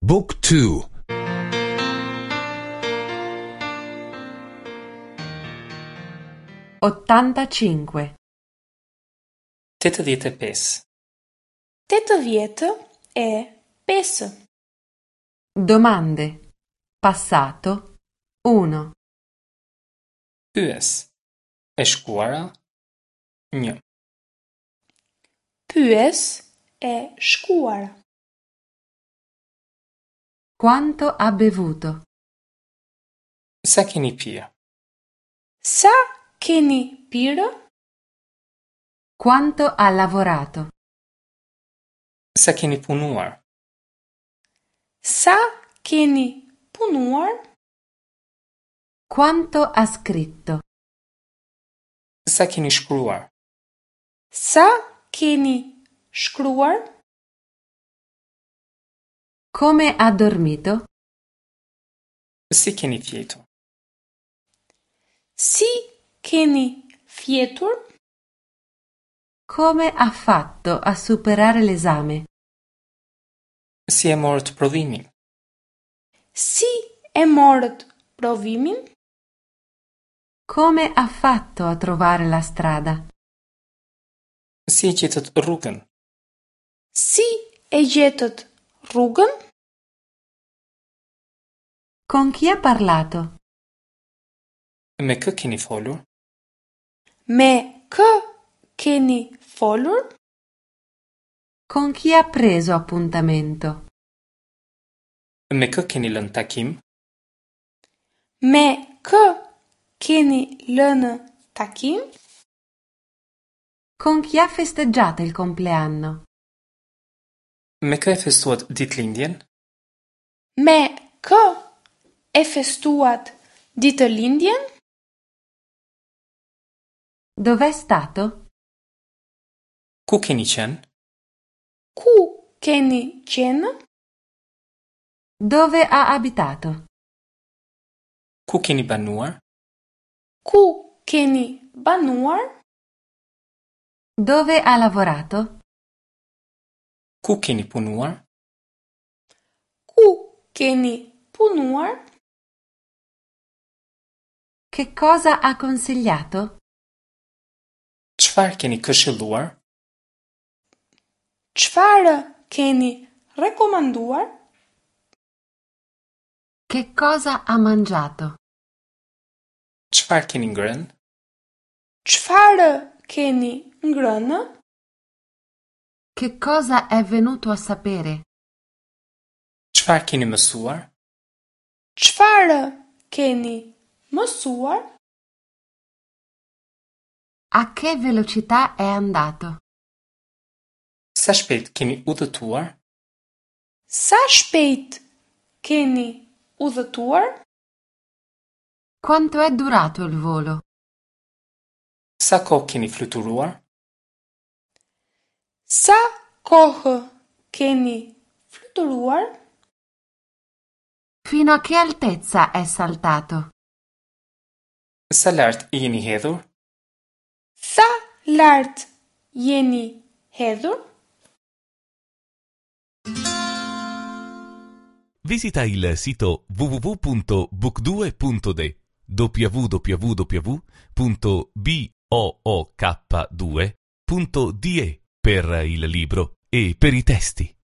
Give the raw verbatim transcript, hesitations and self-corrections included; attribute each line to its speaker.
Speaker 1: Book two.
Speaker 2: Ottantacinque.
Speaker 3: Tetëdhjetë e pesë.
Speaker 4: Tetëdhjetë e pesë.
Speaker 2: Domande. Passato. Uno.
Speaker 3: Pyes. E shkuara. Një.
Speaker 4: Pyes e shkuara.
Speaker 2: Quanto ha bevuto?
Speaker 3: Sa keni pirë?
Speaker 4: Sa keni pirë?
Speaker 2: Quanto ha lavorato?
Speaker 3: Sa keni punuar?
Speaker 4: Sa keni punuar?
Speaker 2: Quanto ha scritto?
Speaker 3: Sa keni shkruar?
Speaker 4: Sa keni shkruar?
Speaker 2: Come ha dormito?
Speaker 3: Si keni fjetur?
Speaker 4: Si keni fjetur?
Speaker 2: Come ha fatto a superare l'esame?
Speaker 3: Si e morët provimin?
Speaker 4: Si e morët provimin?
Speaker 2: Come ha fatto a trovare la strada?
Speaker 3: Si e gjetët rrugën?
Speaker 4: Si e gjetët rrugën?
Speaker 2: Con chi ha parlato?
Speaker 3: Me kë keni folur?
Speaker 4: Me kë keni folur?
Speaker 2: Con chi ha preso appuntamento?
Speaker 3: Me kë keni lënë takim?
Speaker 4: Me kë keni lënë takim?
Speaker 2: Con chi ha festeggiato il compleanno?
Speaker 3: Me kë e festuat ditëlindjen?
Speaker 4: Me kë e festuat ditëlindjen?
Speaker 2: Dov'è stato?
Speaker 3: Ku keni qenë?
Speaker 4: Ku keni qenë?
Speaker 2: Dove ha abitato?
Speaker 3: Ku keni banuar?
Speaker 4: Ku keni banuar?
Speaker 2: Dove ha lavorato?
Speaker 3: Ku keni punuar?
Speaker 4: Ku keni punuar?
Speaker 2: Che cosa ha consigliato?
Speaker 3: Çfarë keni këshilluar?
Speaker 4: Çfarë keni rekomanduar?
Speaker 2: Che cosa ha mangiato?
Speaker 3: Çfarë keni ngrënë?
Speaker 4: Çfarë keni ngrënë?
Speaker 2: Che cosa è venuto a sapere?
Speaker 3: Çfarë keni mësuar?
Speaker 4: Çfarë keni mësuar?
Speaker 2: A che velocità è andato?
Speaker 3: Sa shpejt keni udhëtuar?
Speaker 4: Sa shpejt keni udhëtuar?
Speaker 2: Quanto è durato il volo?
Speaker 3: Sa kohë keni fluturuar?
Speaker 4: Sa kohë keni fluturuar?
Speaker 2: Fino a che altezza è saltato?
Speaker 3: Sa lart jeni hedhur?
Speaker 4: Sa lart jeni hedhur?
Speaker 1: Visita il sito w w w punto book due punto de w w w punto b o o k due punto d e per il libro e per i testi.